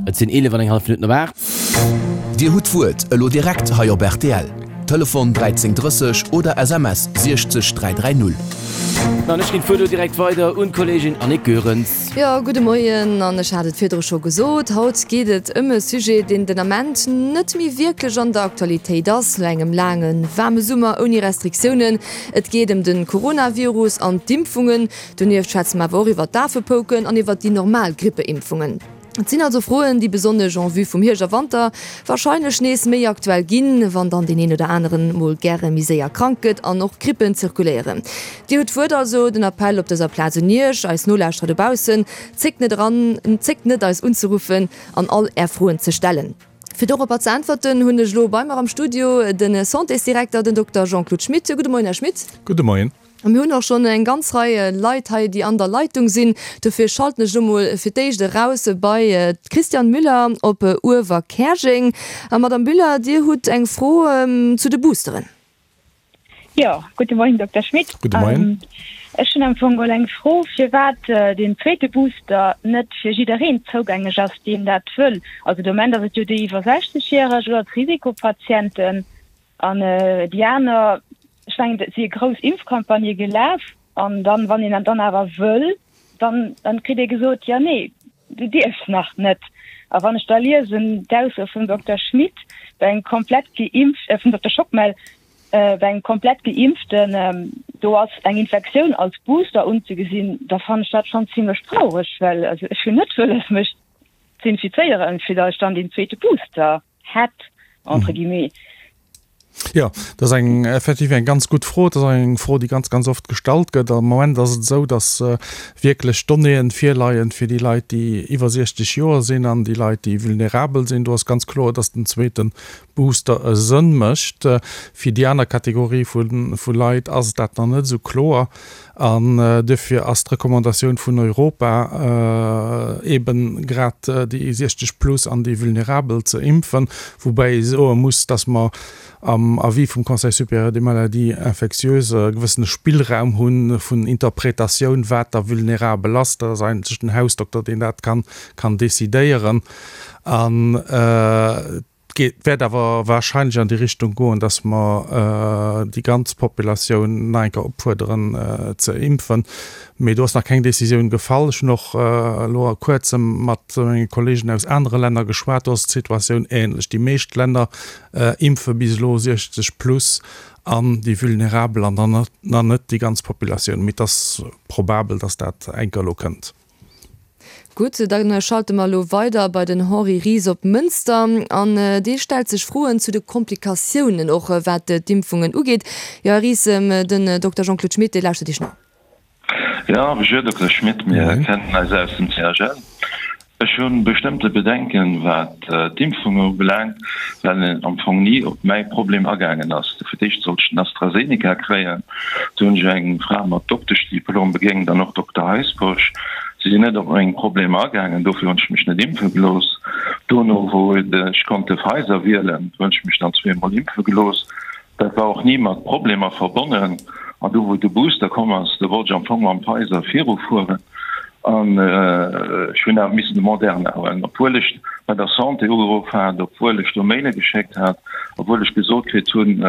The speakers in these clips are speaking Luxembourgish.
Et sinn 11 an eng hallef Minutten op 8. Dir hutt d'Wuert elo direkt hei op rtl. Telefon 13 30 oder SMS 60 330. An ech ginn d'Wuert elo direkt weider un d'Kolleegin Annick Goerens. Jo, gudde Moien. An ech hat et virdru scho gesot, haut geet et ëm e Sujet, deen den Ament net méi wierklech an der Aktualitéit ass, no engem laange waarme Summer ouni Restriktiounen. Et geet ëm de Coronavirus an d'Impfungen. Donieft schwätze mer awer och iwwer d'Afepouken an iwwer déi normal Grippeimpfungen. Et sinn also Froen, déi besonnesch en vue vum Hierscht a Wanter warscheinlech nees méi aktuell ginn, wann dann deen een oder aneren mol gäre méi séier krank gëtt an och Grippen zirkuléieren. Dir hutt d'Wuert, also den Appell op dëser Plaz un Iech, eis Nolauschterer dobaussen, Zéckt net eran, zéckt net eis unzeruffen an all Är Froen ze stellen. Fir doropper ze äntwerten, hunn ech elo bei mer am Studio de Santésdirekter, den Dokter Jean-Claude Schmit. Gudde Moien, Här Schmit. Gudde Moien. A mir hunn och schonn eng ganz Rei Leit hei, déi an der Leitung sinn. Dofir schalten ech elo mol fir d'éischt eraus bei d'Christiane Müller op Uewerkäerjeng. A Madame Müller, Dir hutt eng Fro zu de Boosteren. Jo, gudde Moien, Dokter Schmit. Gudde Moien. Ech hunn am Fong geholl eng Fro, firwat deen zweete Booster net fir jiddereen zougänglech ass, deen dat wëll. Also de Moment ass et jo déi iwwer 60 järeg oder d'Risikopatienten. An déi aner, ech mengen, et si grouss Impfcampagnë gelaf an dann, wann een dann awer wëll, dann, dann kritt ee gesot, jo nee, du dierfs nach net. A wann ech da liesen d'Ausso vum Dokter Schmit bei engem komplett geimpft, vum Dokter Schockmel, bei engem komplett Geimpften, do ass eng Infektioun als Booster unzegesinn, da fannen ech dat schonn zimlech traureg, well also ech hunn net wëlles mech z'infizéieren, fir datt ech dann deen zweete Booster hätt, entre guillemets. Jo, dat ass eng effektiv eng ganz gutt Fro. Dat ass eng Fro, déi ganz, ganz oft gestallt gëtt. Am Moment ass et esou, datt wierklech Donnéeën virleien fir déi Leit, déi iwwer 60 Joer sinn an déi Leit, déi vulnerabel sinn. Do ass ganz kloer, datt den zweete Booster e Sënn mécht. Fir déi aner Kategorie vu Leit ass dat nach net esou kloer. An duerfir ass d'Recommandatioun vun Europa eeben grad déi 60 plus an déi Vulnerabel ze impfen, woubäi ee soe muss, dass mer am Avis vum Conseil supérieur des maladies infectieuses e gewëssene Spillraum hu vun Interpretatioun, wat da vulnerabel ass. Dat ass eigentlech den Hausdokter, deen dat kann decidéieren. An Et wäert awer wahrscheinlech an déi Richtung goen, dass mer déi ganz Populatioun nach eng Kéier opfuerderen ze impfen. Mee do ass nach keng Décisioun gefall. Ech hunn och elo a Kuerzem mat menge Kollegen aus anere Länner geschwat. Do ass d'Situatioun ähnlech. Déi meescht Länner impfe bis elo 60 plus an déi Vulnerabel an dann nach net déi ganz Populatioun. Mee et ass probabel, dass dat eng Kéier elo kënnt. Gutt, da schalte mer elo weider bei den Henri Ries op Mënster an dee stellt sech Froen zu de Komplikatiounen, och wat d'Impfungen ugeet. Jo, Här Ries, den Dokter Jean-Claude Schmit, dee lauschtert Iech no. Jo, bonjour Dokter Schmit, mir kennen eis aus dem CHL. Ech hu bestëmmte Bedenken, wat d'Impfungen ubelaangt, well een am Fong ni op mäi Problem agaangen ass. Fir d'éischt sollt ech den AstraZeneca kréien, Do hunn ech eng Fra mat Dokteschdiplom begéint an och Dokter Heisbourg. Si sinn net op meng Problemer agaangen, dofir hunn ech mech net impfe gelooss. Dono, wou ech konnt de Pfizer wielen, do hunn ech mech dann zweemol impfe gelooss. Dat war och ni mat Problemer verbonnen. An du wou de Booster komm ass, do wollt ech am Fong mam Pfizer virufueren. An ech hunn awer missen de Moderna huelen, obwuel ech bei der Santé ugeruff hat, obwuel ech do Maile geschéckt hat, obwuel ech gesot kritt hunn,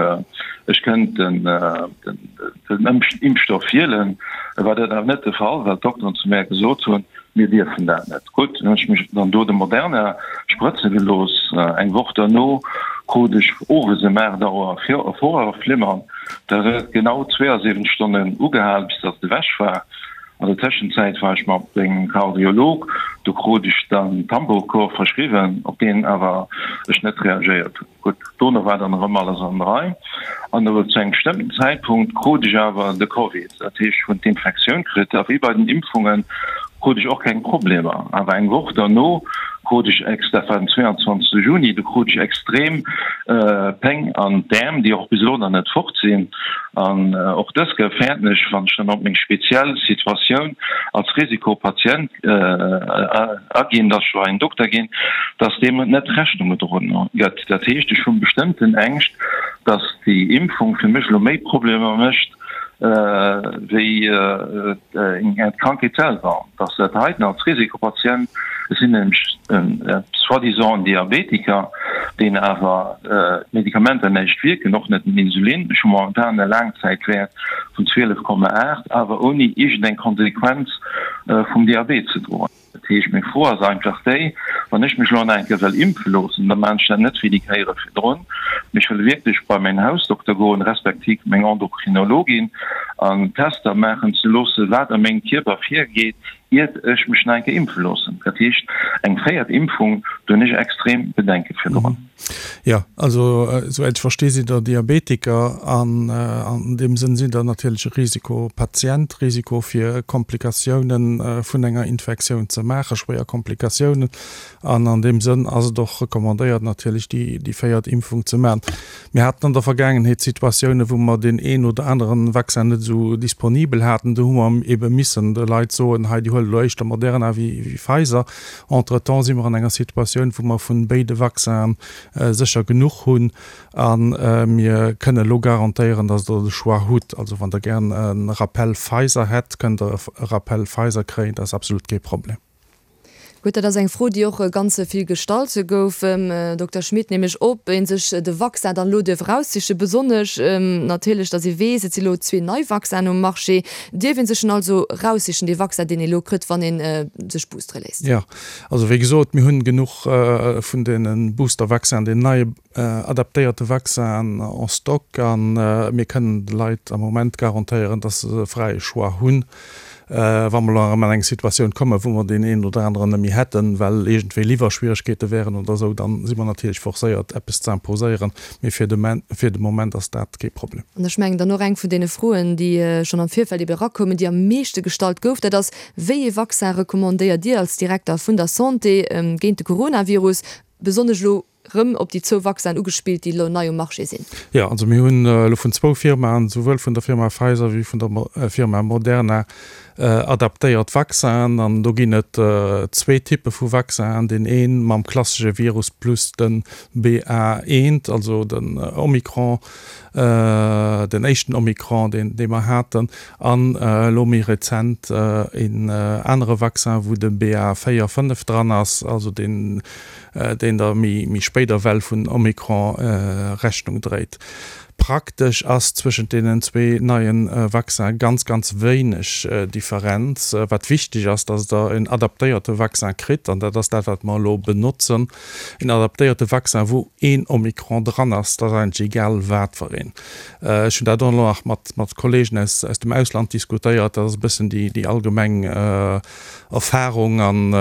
ech kënnt den Impfstoff wielen. War dat awer net de Fall, well d'Dokteren zu mär gesot hunn, mir dierfen dat net. Gutt, dann hunn ech mech dann do de Moderna sprëtze gelooss. Eng Woch derno krut ech owes ëm 8 Auer Vorhofflimmern. Dat huet genau 72 Stonnen ugehal, bis datt et ewech war. An der Tëschenzäit war ech mat mengem Kardiolog, do krut ech dann Tambocor verschriwwen, op deen awer ech net reagéiert hunn. Gutt, dono war dann erëm alles an der Rei an awer zu engem bestëmmten Zäitpunkt krut ech awer de Covid, dat heescht ech hunn d'Infektioun kritt a wéi bei den Impfunge krut ech och keng Problemer. Awer eng Woch derno krut ech, dat war den 22 Juni, do krut ech extrem Péng an d'Äerm, déi och bis elo nach net fort sinn. An och dës Kéier fäerten ech, wann ech dann op meng speziell Situatioun als Risikopatient aginn, dass ech bei en Dokter ginn, dass deem net Rechnung gedroen gëtt. Dat heescht, ech hu bestëmmten Ängscht, dass déi Impfung fir mech elo méi Problemer mécht. Wéi d'Krankheet selwer, dass dat heiten als Risikopatient, ech sinn nämlech soi-disant en Diabetiker, deen awer d'Medikamenter näischt wierken, och net den Insulin, ech hu momentan e Laangzäitwäert vun 12,8, awer ouni iergendeng Konsequenz vum Diabet ze droen. Dat heescht, meng Fro ass einfach déi, Wann ech mech elo nach eng Kéier wëll impfe loossen, da maachen ech dat net wéi déi Kéiere virdrun, mee ech wëll wierklech bei mäin Hausdokter goen, respektiv meng Endokrinologin, an Tester maachen ze loossen, wat a mengem Kierper virgeet, iert ech mech nach eng Kéier impfe loossen. Dat heescht, eng véiert Impfung, do hunn ech extrem Bedenke virdrun. Jo, also esouwäit ech versti sidd Der Diabetiker an an deem Sënn sidd Der natierlech e Risikopatient, Risiko fir Komplikatiounen vun enger Infektioun ze maachen, schwéier Komplikatiounen. An an deem Sënn ass et och recommandéiert natierlech déi déi véiert Impfung ze maachen. Mir haten an der Vergaangenheet Situatiounen, wou mer deen een oder aneren Vaccin net esou disponibel haten. Do hu mer ebe missen de Leit soen, hei Dir huelt elo éischter Moderna wéi Pfizer. Entretemps si mer an enger Situatioun, wou mer vun béide Vaccinen sécher genuch hunn a mir kënnen elo garantéieren, dass Der de Choix hutt. Also wann Der gären e Rappel Pfizer hätt, kënnt Der e Rappel Pfizer kréien, dat ass absolut kee Problem. Gutt, dat ass eng Fro, déi och ganz vill gestallt gouf, Dokter Schmit, nämlech ob ee sech de Vaccin dann elo duerf eraussichen, besonnesch natierlech, datt ee weess, et si elo zwee nei Vaccinen um Marché. Dierf ee sech en also eraussichen, dee Vaccin, deen ee elo kritt, wann ee sech boostere léisst? Jo, also wéi gesot, mir hunn genuch vun deene Booster-Vaccinen, den neie adaptéierte Vaccinen en stock a mir kënnen de Leit am Moment garantéieren, dass se e fräie Choix hunn. Wa mer elo erëm an eng Situatioun kommen, wou mer deen een oder aneren net méi hätten, well iergendwéi Liwwerschwieregkeete wären oder esou, da si mer natierlech forcéiert, eppes ze imposéieren. Mee fir de fir de Moment ass dat kee Problem. An ech mengen dann och eng vun deene Froen, déi schonn am Virfeld ebe erakoumen, déi am meeschte gestallt gouf, dat ass, Wéi ee Vaccin recommandéiert Dir als Direkter vun der Santé géint de Coronavirus, besonnesch elo rëm op déi zwou Vaccinen ugespillt, déi elo nei um Marché sinn? Jo, also mir hunn elo vun zwou Firmaen, souwuel vun der Firma Pfizer wéi vun der Firma Moderna, adaptéiert Vaccinen. An do ginn et zwee Typpe vu Vaccinen, deen ee mam klassesche Virus plus de BA. 1, also den Omikron, den éischten Omikron, deen dee mer haten, an elo méi rezent een anere Vaccin, wou de BA. 4, 5 dran ass, also deen deen der méi méi spéider Well vun Omikron Rechnung dréit. Praktesch ass zwëschent deenen zwee neie Vaccinen ganz, ganz wéineg Differenz. Wat wichteg ass, dass Der en adaptéierte Vaccin kritt, an dat ass dat, wat mer elo benotzen, en adaptéierte Vaccin, wou een Omikron dran ass, dat ass eigentlech egal wat fir een. Ech hunn dat och elo nach mat, mat Kollegen aus, aus dem Ausland diskutéiert, dat ass e bëssen déi, déi allgemeng Erfahrung an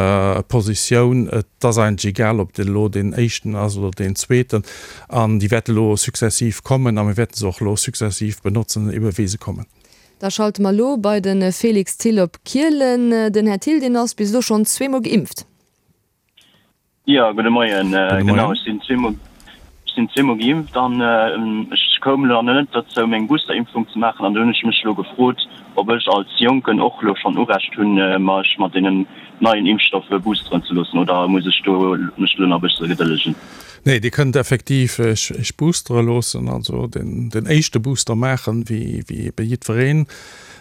Positioun. Et ass eigentlech egal, ob et elo deen éischten ass oder deen zweeten. An déi wäerte elo successiv kommen a mir wäerte se och elo successiv benotzen, ebe wéi se kommen. Da schalte mer elo bei de Félix Thill op Kielen. Den Här Thill, deen ass bis elo schonn zweemol geimpft. Jo, gudde Moien. Genau, ech sinn zweemol, ech sinn zweemol geimpft an ech koum elo nach net dozou, meng Boosterimpfung ze maachen. An do hunn ech mech elo gefrot, ob ech als Jonken och elo schonn Urecht hunn, mech mat deenen neien Impfstoffe boosteren ze loossen, oder muss ech do mech elo nach e bësse gedëllegen? Nee, Dir kënnt effektiv Iech boostere loossen, also den éischte Booster maachen, wéi ebe jiddwereen.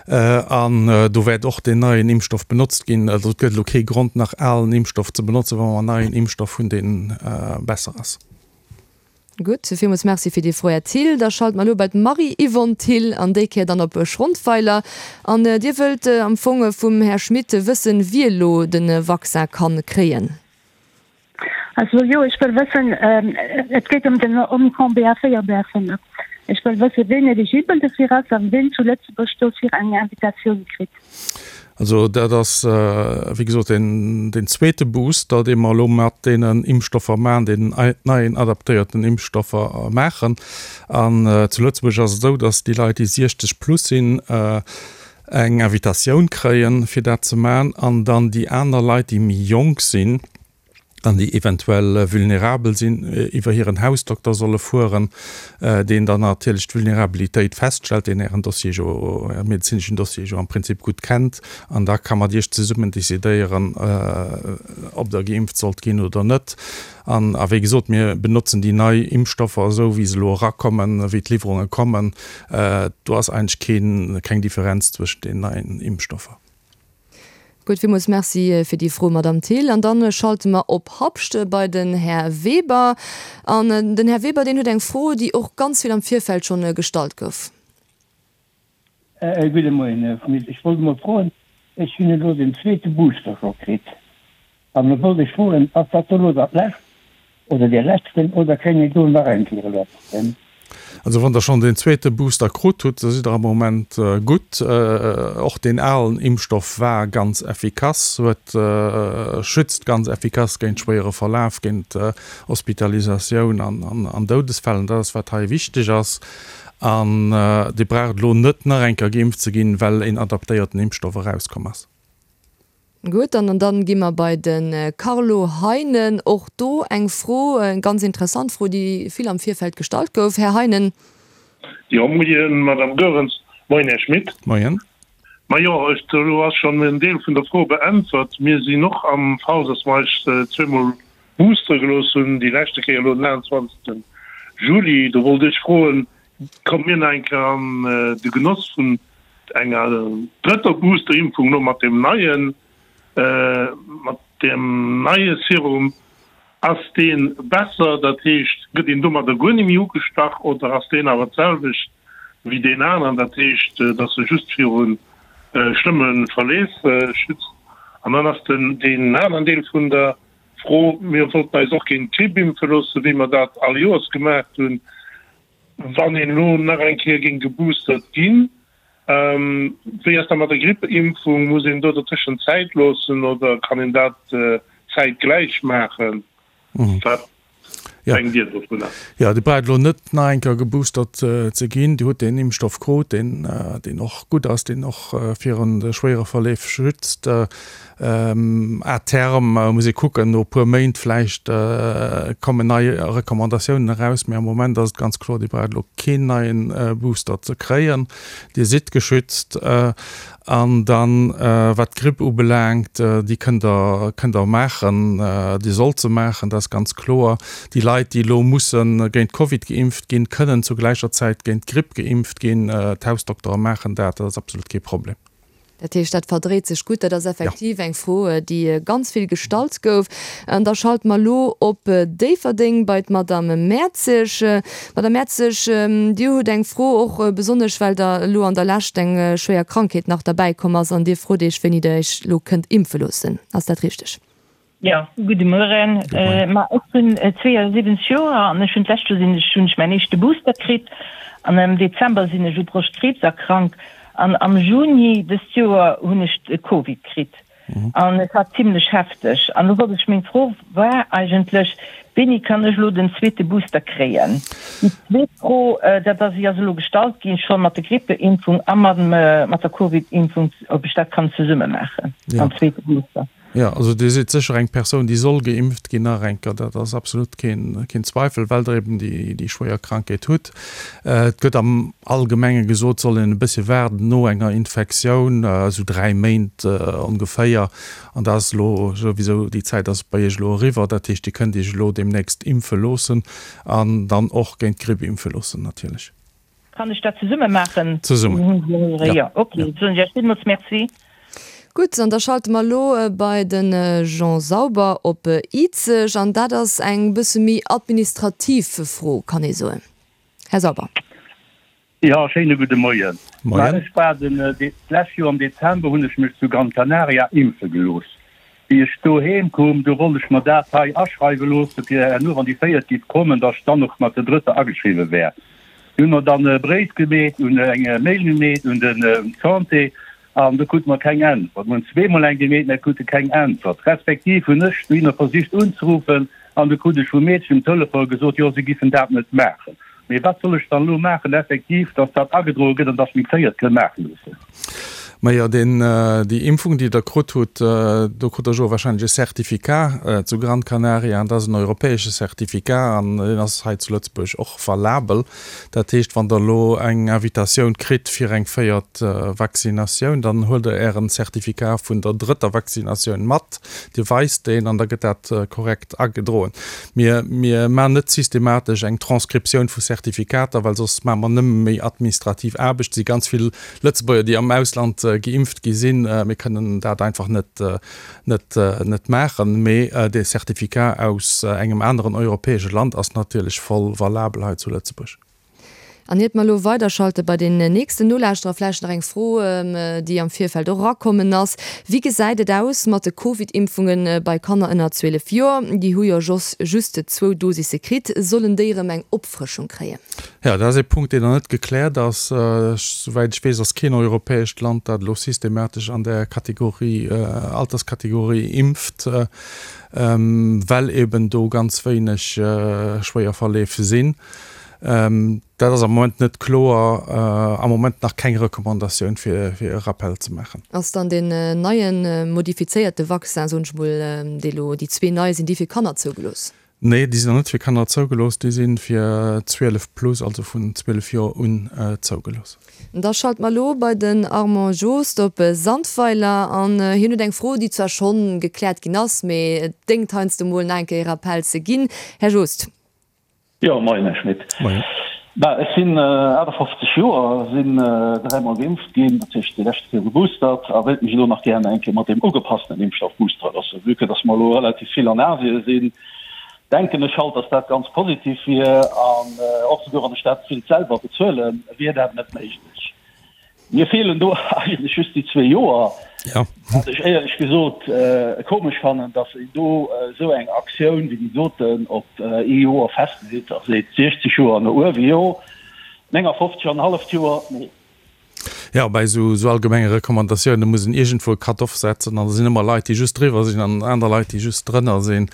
An do wäert och deen neien Impfstoff benotzt ginn. Also et gëtt elo kee Grond, nach alen Impfstoff ze benotzen, wa mer en neien Impfstoff hunn, dee besser ass. Gutt, villmools Merci fir déi Fro, Här Thill. Da schalte mer elo bei d'Marie-Yvonne Thill an déi Kéier dann op Schrondweiler. An Dir wëllt am Fong vum Här Schmit wëssen, wie elo de Vaccin ka kréien. Also jo, ech wëll wëssen, et geet ëm den Omikron BA4, BA5. Ech wëll wëssen, ween eligibel dofir ass an ween zu Lëtzebuerg dofir eng Invitatioun kritt. Also dat ass, wéi gesot, deen, deen zweete Booster, dee mer elo mat deenen Impfstoffer maachen, deenen neien adaptéierten Impfstoffer maachen. An zu Lëtzebuerg ass et esou, datt déi Leit, déi 60 plus sinn, eng Invitatioun kréien, fir dat ze maachen, an dann déi aner Leit, déi méi jonk sinn. An déi eventuell vulnerabel sinn, iwwer hiren Hausdokter solle fueren, deen dann natierlech d'Vulnerabilitéit feststellt, deen Ären Dossier jo, Äre medezineschen Dossier jo am Prinzip gutt kennt. An da ka mat Iech zesummen decidéieren, ob Der geimpft sollt ginn oder net. An, a wéi gesot, mir benotzen déi nei Impfstoffer esou, wéi se elo erakommen, wéi d'Liwwerunge kommen. Do ass eigentlech keen, keng Differenz zwëschent den neien Impfstoffer. Gutt, villmools Merci fir déi Fro, Madamm Thill. An dann schalte mer op Habscht bei den Här Weber. An den Här Weber, deen huet eng Fro, déi och ganz vill am Virfeld schonn gestallt gouf. Gudde Moien, Här Schmit. Ech wollt emol froen, ech hunn elo den zweete Booster scho kritt. An elo wollt ech froen, ass dat do elo dat lescht oder dee leschten oder kréien ech do nach eng Kéier e letzten? Also wann Der schonn deen zweete Booster krut hutt, da sidd Der am Moment gutt. Och deen alen Impfstoff war ganz effikass, huet, schützt ganz effikass géint schwéiere Verlaf, géint Hospitalisatioun an Doudesfäll. An dat ass wat hei wichteg ass. An Dir braucht elo net nach eng Kéier geimpft ze ginn, well een adaptéierten Impfstoff erauskomm ass. Gutt, an dann gi mer bei de Carlo Heinen. Och do eng Fro, eng ganz interessant Fro, déi vill am Virfeld gestallt gouf. Här Heinen. Jo, Moien, Madame Goerens. Moien, Här Schmit. Moien. Majo, ech, elo ass schonn en Deel vun der Fro beäntwert. Mir sinn och am Fall, dass mer eis zweemol boostere gelooss hunn, déi leschte Kéier elo den 28. Juli. Do wollt ech froen, Komme mir nach eng Kéier an de Genoss vun enger drëtter Boosterimpfung elo mat deem neien, mat deem neie Serum? Ass dee besser, dat heescht, gëtt een domadder guer net méi ugestach, oder ass deen awer d'selwecht wéi deen aneren, dat heescht, datt e just viru schlëmme Verleef schützt? An dann ass den deen aneren Deel vun der Fro, Mir wollten eis och géint d'Gripp impfe loossen, wéi mer dat all Joers gemaach hunn. Wann een elo nach eng Kéier géing geboostert ginn, wéi ass dat mat der Grippeimpfung? Muss een do dertëschent Zäit loossen oder kann een dat zäitgläich maachen? Wat denkt Dir dovunner? Jo, Dir braucht elo net nach eng Kéier geboostert ze ginn. Dir hutt deen Impfstoff krut, deen och gutt ass, deen och virun de schwéiere Verleef schützt. À terme muss ee kucken, no e puer Méint vläicht kommen nei Recommandatiounen eraus, mee am Moment ass et ganz kloer, Dir braucht elo keen neien Booster ze kréien, Dir sidd geschützt. An dann, wat d'Gripp ubelaangt, déi kënnt Der, kënnt Der maachen, Dir sollt se maachen, dat ass ganz kloer. Déi Leit, déi elo musse géint Covid geimpft ginn, kënnen zu gläicher Zäit géint d'Gripp geimpft ginn. D'Hausdoktere maachen dat, dat ass absolut kee Problem. Dat heescht, dat verdréit sech gutt. Dat ass effektiv eng Fro, déi ganz vill gestallt gouf. An da schalte mer elo op Déifferdeng bei d'Madame Mertzig. Madame Mertzig, Dir hutt eng Fro, och besonnesch well der elo an der Lescht eng schwéier Krankheet nach derbäikomm ass an Dir frot Iech, wéini Der Iech elo kënnt impfe loossen. Ass dat richteg? Jo, gudde Mueren. Ma ech hunn 72 Joer an ech hunn d'lescht Joer sinn ech hunn ech mäin éischte Booster kritt an am Dezember sinn ech u Broschtkriibs erkrankt an am Juni dëst Joer hunn ech de Covid kritt an et war zimlech hefteg. An lo wollt ech, meng Fro war eigentlech, wéini kann ech elo den zweete Booster kréien? Déi zweet Fro, dat ass, déi ass elo gestallt ginn scho mat der Grippeimpfung a mat der Covid-Impfung, ob ech dat kann zesumme maachen, den zweete Booster. Jo, also Dir sidd sécher eng Persoun, déi soll geimpft ginn nach eng Kéier, dat ass absolut keen, keen Zweifel, well Der eben déi, déi schwéier Krankheet hutt. Et gëtt am Allgemenge gesot, soll een e bëssche waarden no enger Infektioun, esou 3 Méint ongeféier. An dat ass elo souwisou, déi Zäit ass bei Iech elo eriwwer. Dat heescht, Dir kënnt Iech elo deemnächst impfe loossen an dann och géint d'Gripp impfe loossen natierlech. Kann ech dat zesumme maachen? Zesummen, jo. Jo, ok. Soen ech Iech villmools Merci. Gutt, an da schalte mer elo bei de Jean Sauber op Izeg. An dat ass eng bësse méi administrativ Fro, kann ee soen. Här Sauber. Jo, schéine gudde Moien. Moien. Ech war den, d'lescht Joer am Dezember hunn ech mech zu Gran Canaria impfe gelooss. Wéi ech doheem koum, du wollt ech mer dat hei aschreiwe loosse fir herno, wann déi véiert giff kommen, datt ech dann och mat der drëtter ageschriwwe wär. Du hunn mer dann e Bréif gemeet, un eng Mail gemeet un den Santé, an do krute mer keng Äntwert. Mer hunn zweemol eng gemeet, mä krute keng Äntwert. Respektiv hunn ech dohinner versicht unzeruffen, an du krut ech vum Meedchen um Telefon gesot, jo, si giffen dat net maachen. Mee wat soll ech dann elo maachen effektiv, datt dat agedroe gëtt an datt ech meng véiert kënn maache loossen? Majo, deen, déi Impfung, déi Der krut hutt, do krut Der jo wahrscheinlech e Certificat zu Gran Canaria, an dat ass en europäesche Certificat an deen ass hei zu Lëtzebuerg och valabel. Dat heescht, wann Der elo eng Invitatioun kritt fir eng véiert Vaccinatioun, dann huelt Der Ären Certificat vun der drëtter Vaccinatioun mat, Dir weist deen an da gëtt dat korrekt agedroen. Mir, mir maachen net systematesch eng Transkriptioun vu Certificater, well soss maache mer nëmme méi administrativ Aarbecht. Et si ganz vill Lëtzebuerger, déi am Ausland geimpft gi sinn. Mir kënnen dat einfach net, net, net maachen. Mee dee Certificat aus engem aneren europäesche Land ass natierlech voll valabel hei zu Lëtzebuerg. An iert mer elo weiderschalte bei den nächsten Nolauschterer, vläicht nach eng Fro, déi am Virfeld och erakommen ass, Wéi gesäit et aus mat de Covid-Impfunge bei Kanner ënner 12 Joer? Déi hu jo just zwou Dosisse kritt. Sollen déi erëm eng Opfrëschung kréien? Jo, dat ass ee Punkt, deen nach net gekläert ass. Souwäit ech weess, ass keen europäescht Land, dat elo systematesch an där Kategorie, Alterskategorie impft, well eben do ganz wéineg schwéier Verleef sinn. Dat ass am Moment net kloer, am Moment nach keng Recommandatioun, fir e Rappel ze maachen. Ass dann deen neien, modifizéierte Vaccin, soen ech mol, dee lo, déi zwee nei, sinn déi fir Kanner zougelooss? Nee, déi sinn nach net fir Kanner zougelooss, déi si fir 12 plus, also vun 12 Joer un zougelooss. Da schalte mer elo bei den Armand Jost op Sandweiler an hien huet eng Fro, déi zwar schonn gekläert ginn ass, mee et déngt heiansdo mol nach eng Kéier e Rappel ze ginn. Här Jost. Jo, moien Här Schmit. Moien. Bah, ech sinn 58 Joer, sinn dräimol geimpft ginn, dat heescht déi leschte Kéier geboostert, a wéilt mech elo nach gären eng Kéier mat deem ugepassenen Impfstoff boostere loossen. Vue que dass mer elo relativ vill an Asien sinn, denken ech halt, dass dat ganz positiv wier, an och souguer wann ech dat wéilt selwer bezuelen, wier dat net méiglech. Mir feelen do eigentlech just déi zwee Joer, wat ech éierlech gesot komesch fannen, datt een do esou eng Aktioun wéi déi doten op ee Joer festleet a seet, 60 Joer no uewe jo, 59 an e halleft Joer nee. Jo, bei esou allgemenge Recommandatioune muss een iergendwou e Cut-off setzen an da sinn ëmmer Leit, déi just driwwer sinn an aner Leit, déi just drënner sinn.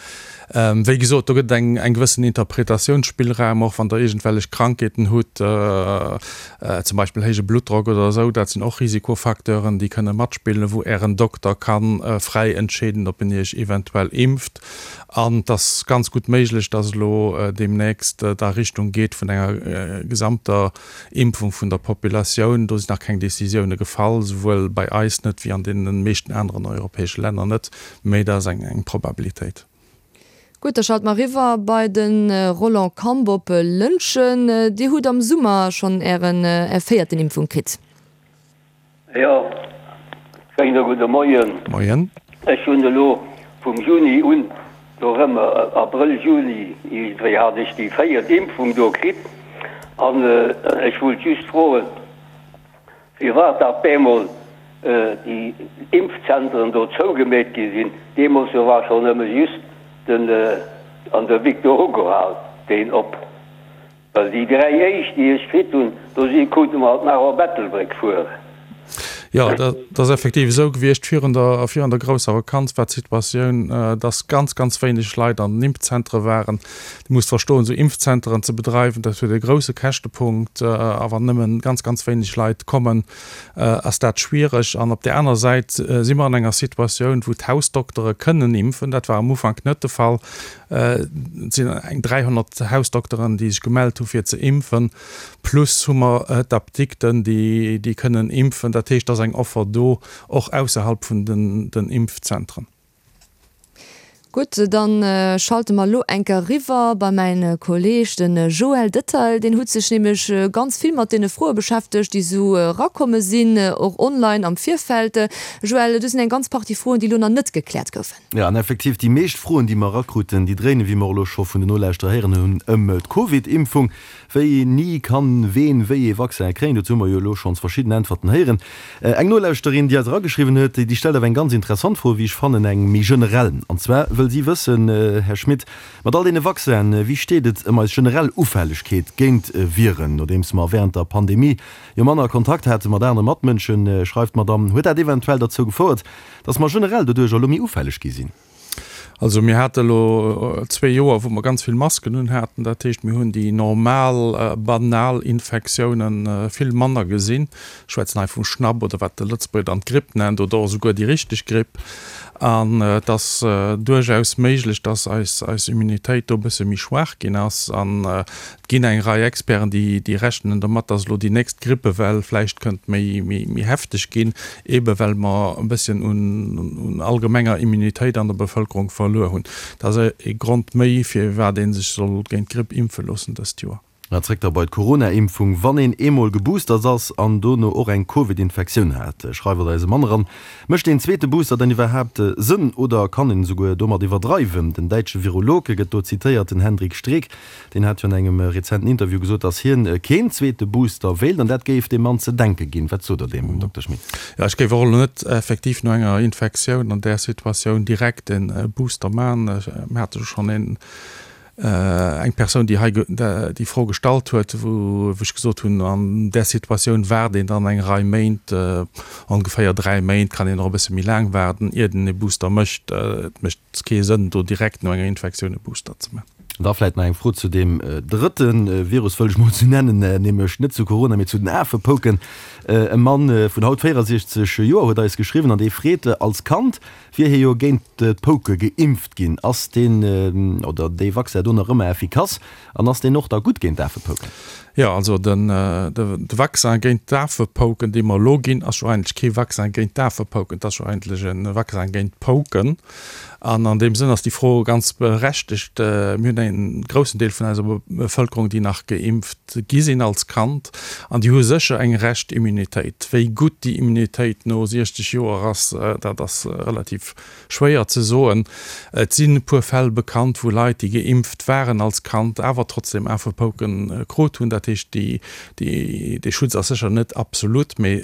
Wéi gesot, do gëtt et eng gewëssen Interpretatiounsspillraum, och wann Der iergendwellech Krankheeten hutt, zum Beispill héije Bluttdrock oder esou, dat sinn och Risikofacteuren, déi kënne matspillen, wou Ären Dokter ka fräi entscheeden, ob en Iech eventuell impft. An et ass ganz gutt méiglech, dass elo deemnächst et a Richtung geet vun enger gesamter Impfung vun der Populatioun. Do sinn nach keng Decisioune gefall, souwuel bei eis net wéi an deene meeschten aneren europäesche Länner net, mee dat ass eng Probabilitéit. Gutt, da schalte mer eriwwer bei de Roland Kamp op Lëntgen. Dir hutt am Summer schonn Ären, Är véierten Impfung kritt. Jo, schéine gudde Moien. Moien. Ech hunn elo vum Juni un, do erëm Abrëll, Juni iergendwéi, hat ech déi véiert Impfung do kritt. An ech wollt just froen, Firwat da bemol déi Impfzentren do zougemeet gi sinn, deemools do war schonn nëmme just den an der Victor Hugo Hal deen op, well déi 3 éischt déi ech kritt hunn, do si krute mer alt nach op Ettelbréck fueren. Jo, dat ass effektiv esou gewiescht. Virun der, virun der grousser Vakanz war d'Situatioun, dass ganz, ganz wéineg Leit an den Impfzentre waren. Dir musst verstoen, esou Impfzenteren ze bedreiwen, dat huet e grousse Käschtepunkt. A wann nëmme ganz, ganz wéineg Leit kommen, ass dat schwiereg. An op där aner Säit si mer an enger Situatioun, wou d'Hausdoktere kënnen impfen. Dat war am Ufank net de Fall. Et sinn eng 300 Hausdokteren, déi sech gemellt hu fir ze impfen. Plus hu mer d'Apdikten, déi kënnen impfen. Dat heescht, et ass eng Offer do, och ausserhalb vun den Impfzentren. Gutt, dann schalte mer elo eng Kéier eriwwer bei mäin Kolleg, de Joël Detail. Deen huet sech nämlech ganz vill mat deene Froe beschäftegt, déi esou erakomme sinn, och online am Virfeld. Joël, do sinn eng ganz Partie Froen, déi elo nach net gekläert goufen. Jo, an effektiv, déi meescht Froen, déi mer erakruten, déi dréinen, wéi mer och elo scho vun den Nolauschterer héieren hunn, ëm d'Covid-Impfung. Wéini kann ween wéi ee Vaccin kréien? Dozou hu mer jo elo schonns verschidden Äntwerten héieren. Eng Nolauschterin, déi eis erageschriwwen huet, déi stellt awer eng ganz interessant Fro, wéi ech fannen, eng méi generell. An zwar wëll si wëssen, Här Schmit, mat all deene Vaccinen, wéi steet et ëm eis generell Ufällegkeet géint Viren? Nodeems mer während der Pandemie jo manner Kontakt hate mat anere Matmënschen, schreift d'Madame, huet dat eventuell derzou gefouert, dass mer generell doduercher elo méi ufälleg gi sinn? Also mir hate elo zwee Joer, wou mer ganz vill Masken un haten. Dat heescht, mir hunn déi normal, banal Infektiounen vill manner gesinn. Ech schwätzen hei vum Schnapp oder wat de Lëtzebuerger dann d'Gripp nennt oder och esouguer déi richteg Gripp. An et ass duerchaus méiglech, dass eis, eis Immunitéit do e bësse méi schwaach ginn ass. An et ginn eng Rei Experten, déi, déi rechnen domat, dass elo déi nächst Grippewell vläicht kënnt méi, méi, méi hefteg ginn, eebe well mer e bësschen un, un allgemenger Immunitéit an der Bevëlkerung verluer hunn. Dat ass e Grond méi, firwat ee sech soll géint d'Gripp impfe loossen dëst Joer. An zréck da bei d'Corona-Impfung, Wann een eemol geboostert ass an dono och eng Covid-Infektioun hat, schreift eis e Mann eran, mécht deen zweete Booster dann iwwerhaapt Sënn oder kann een esouguer domat iwwerdreiwen? Den däitsche Virolog gëtt do zitéiert, den Hendrik Streeck, deen hat jo an engem rezenten Interview gesot, datt hien keen zweete Booster wéilt an dat géif dem Mann ze denke ginn. Wat sot Der deem, Dokter Schmit? Jo, ech géif och elo net effektiv no enger Infektioun an där Situatioun direkt e Booster maachen. Mir hate jo schonn een Eng Persoun, déi hei déi Fro gestallt huet, wou ech gesot hunn, an där Situatioun waart een dann eng Rei Méint, ongeféier 3 Méint, kann een och e bësse méi laang waarden, iert een e Booster mécht. Et mécht kee Sënn, do direkt no enger Infektioun e Booster ze maachen. Da vläicht nach eng Fro zu deem drëtte Virus, wëll ech mol esou nennen, nämlech net zu Corona, mee zu den Afepouken. E Mann vun haut 64 Joer huet eis geschriwwen an dee freet, als Kand Wier hie jo géint d'Pouke geimpft ginn, ass deen oder déi Vaccin do nach ëmmer effikass an ass deen och da gutt géint d'Afepouken? Jo, also de Vaccin géint d'Afepouken, dee mer elo ginn, ass jo eigentlech kee Vaccin géint d'Afepouken, et ass jo eigentlech e Vaccin géint d'Pouken. An an deem Sënn ass déi Fro ganz berechtegt. Mir hunn e groussen Deel vun eiser Bevëlkerung, déi nach geimpft gi sinn als Kand, an déi hu sécher eng Rescht-Immunitéit. Wéi gutt déi Immunitéit no 60 Joer ass, dat ass relativ schwéier ze soen. Et sinn e puer Fäll bekannt, wou Leit, déi geimpft waren als Kand, awer trotzdem Afepouken krut hunn. Dat heescht, dee Schutz ass sécher net absolut, mee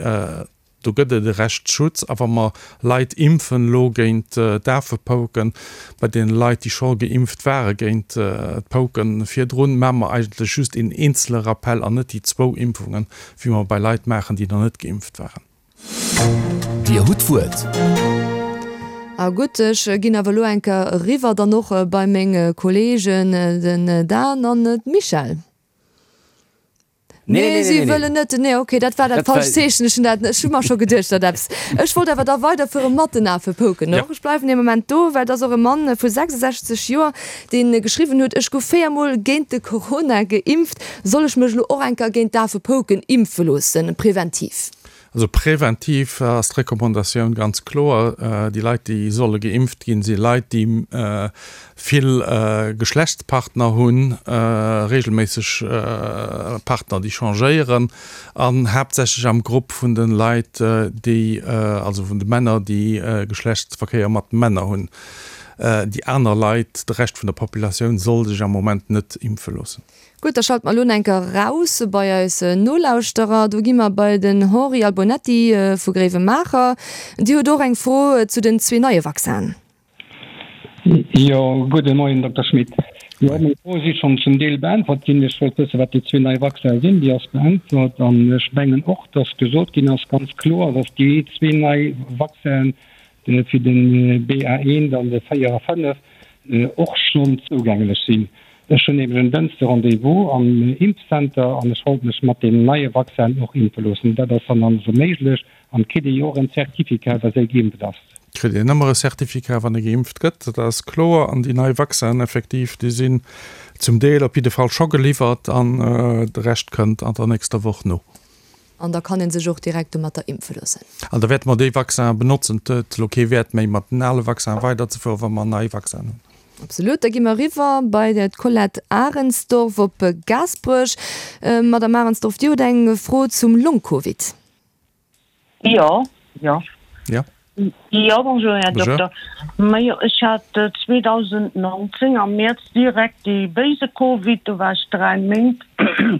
Do gëtt et e Rechtsschutz. A wa mer Leit impfen elo géint d'Afepouken, bei deene Leit, déi scho geimpft ware géint d'Pouken virdrun, maache mer eigentlech just een eenzele Rappel an net déi zwou Impfungen, wéi mer bei Leit maachen, déi nach net geimpft waren. Dir hutt d'Wuert. A gutt, ech ginn awer elo eng Kéier eriwwer dann och bei meng Kolleegen, den Dan an d'Michèle. Nee, nee, si wëllen net. Nee, okay, dat war dat falscht Zeechen. Ech hunn dat, ech hu mer scho geduecht, datt eppes. Ech wollt awer da weiderfuere mat den Afepouken och. Ech bleiwen ee Moment do, well et ass och e Mann vu 66 Joer, dee geschriwwen huet, Ech gouf véiermol géint de Corona geimpft. Soll ech mech elo och eng Kéier géint d'Afepouken impfe loossen, preventiv? Also preventiv ass d'Recommandatioun ganz kloer, déi Leit, déi solle geimpft ginn, si Leit, déi vill Geschlechtspartner hunn, regelméisseg Partner, déi changéieren, an haaptsächlech am Grupp vun de Leit, déi, also vun de Männer, déi Geschlechtsverkéier mat Männer hunn. Déi aner Leit, de Rescht vun der Populatioun soll sech am Moment net impfe loossen. Gutt, da schalte mer elo enker raus bei eis Nolauschterer. Do gi mer bei den Henri Albonetti vu Gréiwemaacher. Dir hutt och eng Fro zu den zwee neie Vaccinen. Jo, gudde Moien, Dokter Schmit. Jo, meng Froe si schonn zum Deel beäntwert ginn. Ech wollt wëssen, wat déi zwee nei Vaccinen sinn. Déi ass beäntwert. An ech mengen och, dass gesot ginn ass, ganz kloer, dass déi zwee nei Vaccinen fir de BA1 an de 4 a 5 och schonn zougänglech sinn. Ech hunn nämlech en Dënschde Rendez-vous am Impfcenter an ech wollt mech mat deem neie Vaccin och impfe loossen. Dat ass dann also méiglech an et kritt ee jo och en Certificat, dass ee geimpft ass. Kritt een ëmmer e Certificat, wann ee geimpft gëtt, dat ass kloer. An déi nei Vaccinen effektiv, déi sinn zum Deel op jidde Fall scho geliwwert an de Rescht kënnt an der nächster Woch no. An da kann ee sech och direkt domatter impfe loossen. An da wäerte mer dee Vaccin benotzen. Et huet elo kee Wäert méi, mat den ale Vaccin weiderzefueren, wa mer nei Vaccinen hunn. Absolut. Da gi mer eriwwer bei d'Colette Arensdorf op Gaasperech. Madamm Arensdorf, Dir hutt eng Fro zum Long-Covid. Jo, jo. Jo. Jo, bonjour Här Dokter. Majo, ech hat 2019 am Mäerz direkt dee béise Covid, do war ech 3 Méint,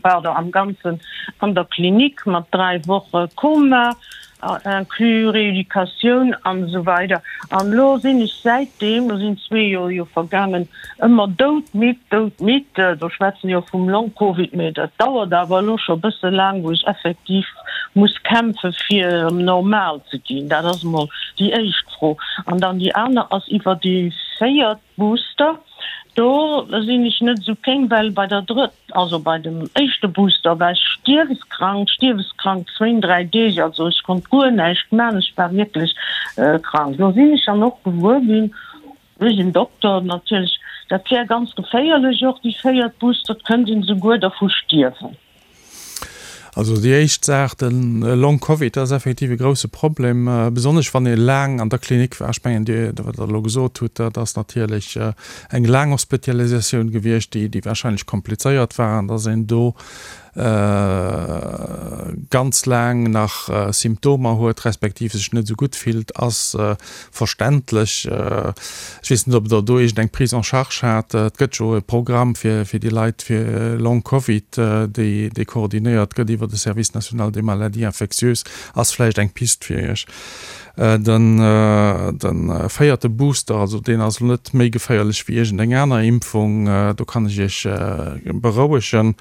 pardon, am Ganzen an der Klinik mat 3 Woche Koma, inclus Rééducatioun an esou weider. An elo sinn ech säitdeem, elo sinn zwee Joer jo vergaangen, ëmmer doudmidd, doudmidd. Do schwätzen jo vum Long-Covid, mee dat dauert awer elo scho bësse laang, wou ech effektiv. muss kämpfe fir erëm normal ze ginn? Dat ass emol déi éischt Fro. An dann déi aner ass iwwer déi véiert Booster. Do sinn ech net esou kéng, well bei der drëtt, also bei dem éischte Booster war ech stierweskrank, stierweskrank zwéin, dräi Deeg, also ech konnt guer näischt man, ech war wierklech krank. Lo sinn ech dann och gewuer ginn, duerch en Dokter natierlech, dat wär ganz geféierlech och déi véiert Booster, et kënnt een esouguer dervu stierwen. Also déi éischt Saach, de Long Covid, dat ass effektiv e grouse Problem, besonnesch wann ee laang an der Klinik war. Ech mengen, Dir, wat Der elo gesot hutt, dat ass natierlech eng laang Hospitalisatioun gewiescht, déi, déi wahrscheinlech komplizéiert war an dass een do ganz laang nach Symptomer huet, respektiv sech net esou gutt fillt, ass verständlech. Ech weess net, ob Der do iergendeng Prise en charge hat. Et gëtt jo e Programm fir déi Leit fir Long Covid, déi dee koordinéiert gëtt iwwer de Service national des maladies infectieuses. Ass vläicht eng Pist fir Iech. De véierte Booster, also deen ass elo net méi geféierlech wéi iergendeng aner Impfung, do kann ech Iech berouegen.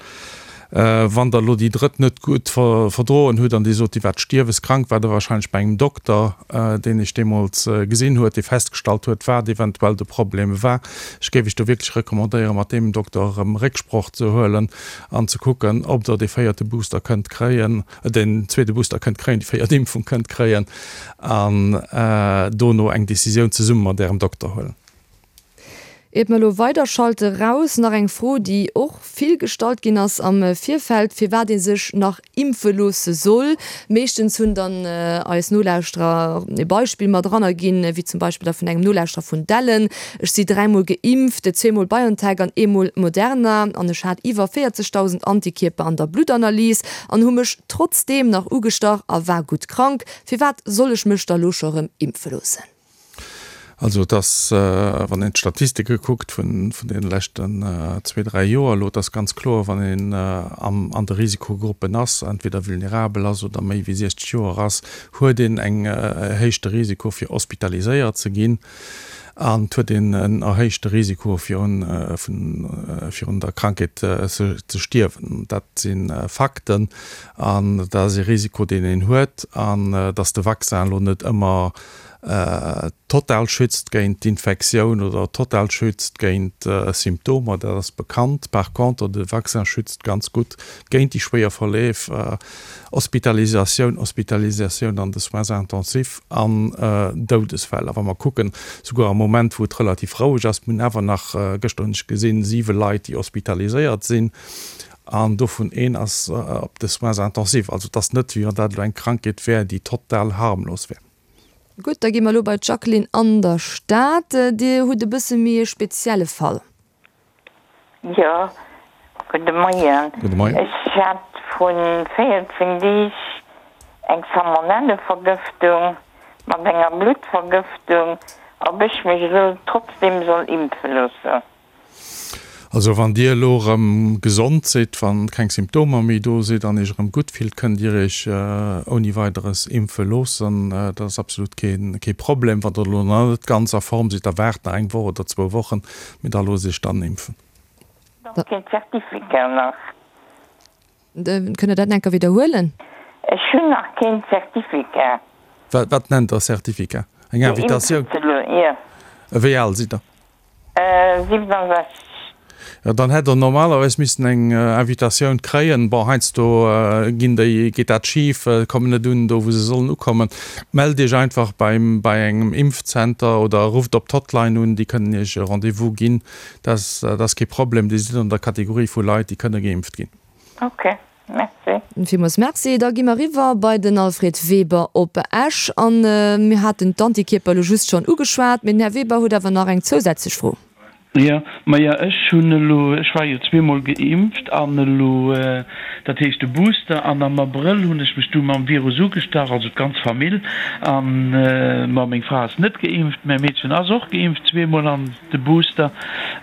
Wann der elo déi drëtt net gutt verdroen hutt an Dir sot, Dir waart stierweskrank, waart Der wahrscheinlech bei engem Dokter, deen Iech deemools gesinn huet, dee festgestallt huet, wat eventuell de Problem war. Ech géif Iech do wierklech recommandéieren, mat deem Dokter erëm Récksproch ze huelen an ze kucken, ob Der dee véierte Booster kënnt kréien, den zweete Booster kënnt kréien, déi véiert Impfung kënnt kréien an dono eng Decisioun zesumme mat Ärem Dokter huelen. Iert mer elo weiderschalte raus, nach eng Fro, déi och vill gestallt ginn ass am Virfeld, firwat ee sech nach impfe loosse soll. Meeschtens hunn dann eis Nolauschterer e Beispill mat eranner ginn, wéi zum Beispill da vun engem Nolauschterer vun Dellen, Ech si dräimol geimpft, zweemol BioNTech an eemol Moderna, an ech hat iwwer 40.000 Antikierper an der Bluttanalys an hu mech trotzdeem nach ugestach a war gutt krank. Firwat soll ech mech da lo scho rëm impfe loossen? Also et ass, wann een d'Statistike kuckt vun deene leschten zwee, dräi Joer elo, et ass ganz kloer, wann een an de Risikogruppen ass, entweder vulnerabel ass oder méi wéi 60 Joer ass, huet een eng erhéichte Risiko fir hospitaliséiert ze ginn an et huet een en erhéichte Risiko fir un der Krankheet ze stierwen. Dat si Fakten an dat ass ee Risiko, deen een huet an datt de Vaccin elo net ëmmer total schützt géint d'Infektioun oder total schützt géint Symptomer, dat ass bekannt. Par contre, de Vaccin schützt ganz gutt géint déi schwéier Verleef, Hospitalisatioun, Hospitalisatioun an de Soins intensifs an Doudesfäll. A wa mer kucken, souguer am Moment, wou et relativ roueg ass, mir hunn awer nach, gëschter hunn ech gesinn, siwe Leit, déi hospitaliséiert sinn, an dovun een ass op de Soins intensifs. Also et ass net, wéi wann dat elo eng Krankheet wär, déi total harmlos wär. Gutt, da gi mer elo bei d'Jacqueline an der Stad. Dir hutt e bësse méi e spezielle Fall. Jo, gudde Moien. Gudde Moien. Ech hat vrun 14 Deeg eng Salmonellevergëftung mat enger Bluttvergëftung, ob ech mech elo trotzdem soll impfe loossen. Also wann Dir elo erëm gesond sidd, wann keng Symptomer méi do sidd an Iech erëm gutt fillt, kënnt Dir Iech ouni Weideres impfe loossen. Dat ass absolut kee Problem. Wann Der elo nach net ganz a Form sidd, da waart nach eng Woch oder zwou Wochen, mee da loosst Iech dann impfen. Och keen Certificat nach. Kënnt Der dat nach eng Kéier widderhuelen? Ech hunn nach keen Certificat. Wat nennt Der Certificat? Eng Invitatioun? Jo. Wéi al sidd Der? 67. Jo, dann hätt Der normalerweis missen eng Invitatioun kréien. Bon, heiansdo ginn déi, geet dat schif, kommen net un do, wou se sollen ukommen. Mellt Iech einfach beim, bei engem Impfzenter oder rufft op d'Hotline un, déi kënnen Iech e Rendez-vous ginn. Dat ass kee Problem, Dir sidd an der Kategorie vu Leit, déi kënne geimpft ginn. Ok, merci. Villmools Merci. Da gi mer eriwwer bei den Alfred Weber op Esch. A mir haten d'Antikierper elo just schonn ugeschwat, mee den Här Weber huet awer nach eng zousätzlech Fro. Jo, maja ech hunn elo, ech war jo zweemol geimpft an elo, dat heescht de Booster, an am Abrëll hunn ech mech du mam Virus ugestach, also d'ganz Famill, an ma meng Fra ass net geimpft, mäi Meedchen ass och geimpft zweemol an de Booster.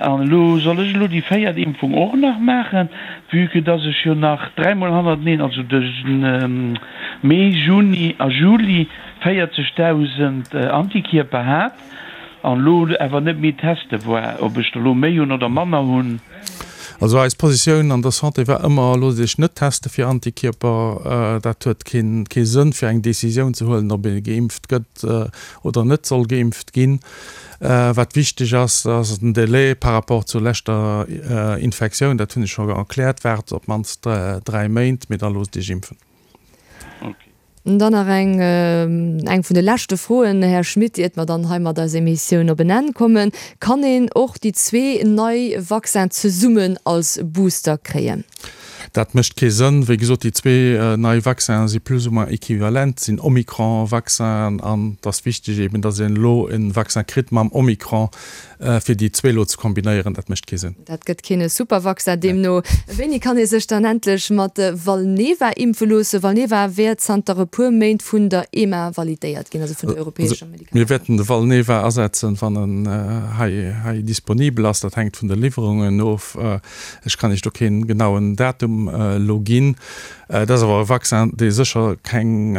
An elo soll ech elo déi véiert Impfung och nach maachen, vue que dass ech jo nach dräimol hannerteneen, also de Mee, Juni a Juli 40.000 Antikierper hat an elo awer net méi teste war, ob ech der elo méi hunn oder manner hunn. Also eis Positioun an der Santé war ëmmer, Loosst Iech net teste fir Antikierper. Dat huet kee Sënn, fir eng Decisioun ze huelen, ob ee geimpft gëtt oder net soll geimpft ginn. Wat wichteg ass, ass den Delai par rapport zur leschter Infektioun. Dat hunn ech scho erkläert. Waart op d'mannst 3 Méint, mee da loosst Iech impfen. Dann nach eng, eng vun de leschte Froen, Här Schmit, iert mer dann hei mat eiser Emissioun op en Enn kommen. Kann een och déi zwee nei Vaccin zesummen als Booster kréien? Dat mécht kee Sënn. Wéi gesot, déi zwee nei Vaccinen si plus ou moins equivalent, sinn Omikron-Vaccinen an et ass wichteg eben, datt een elo e Vaccin kritt mam Omikron, Fir déi zwee elo ze kombinéieren, dat mécht kee Sënn. Dat gëtt keen Supervaccin deemno. Wéini kann ee sech dann endlech mat Valneva impfe loossen? Valneva wär zanter e puer Méint vun der EMA validéiert ginn, also vun der europäescher Medikament. Mir wäerten de Valneva asetzen, wann en hei disponibel ass. Dat hänkt vun de Liwwerungen of. Ech kann Iech do keen genauen Datum elo ginn. Et ass awer e Vaccin, dee sécher keng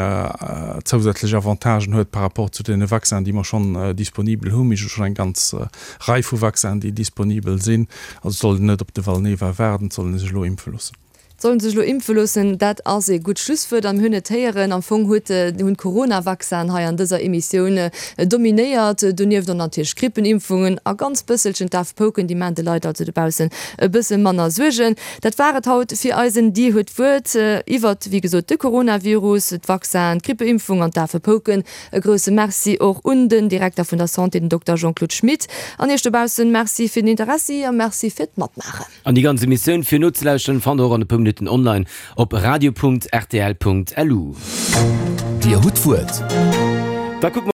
zousätzlech Avantagen huet par rapport zu deene Vaccinen, déi mer schonn disponibel hunn. Mir hu schonn eng ganz Rei vu Vaccinen, déi disponibel sinn. Also et soll een net op de Valneva waarden, et soll ee sech elo impfe loossen. Et soll ee sech elo impfe loossen, dat ass ee gutt Schlusswuert. A mir hunn et héieren, am Fong huet, hunn d'Coronavaccinen hei an dëser Emissioun dominéiert. Donieft och natierlech d'Grippenimpfungen a ganz bësselchen d'Afpouken, déi maachen de Leit also dobaussen e bësse manner Suergen. Dat war et haut fir eisen Dir huet d'Wuert iwwert, wéi gesot, de Coronavirus, d'Vaccin, d'Grippeimpfung an d'Afepouken. E grousse Merci och un den Direkter vun der Santé, den Dokter Jean-Claude Schmit. An Iech dobaussen Merci fir den Interessi a Merci fir d'Matmaachen. An déi ganz Emissioun fir nozelauschteren fannt der och an e puer Minutten online op radio.rtl.lu. Dir hutt d'Wuert. Da kucke mer.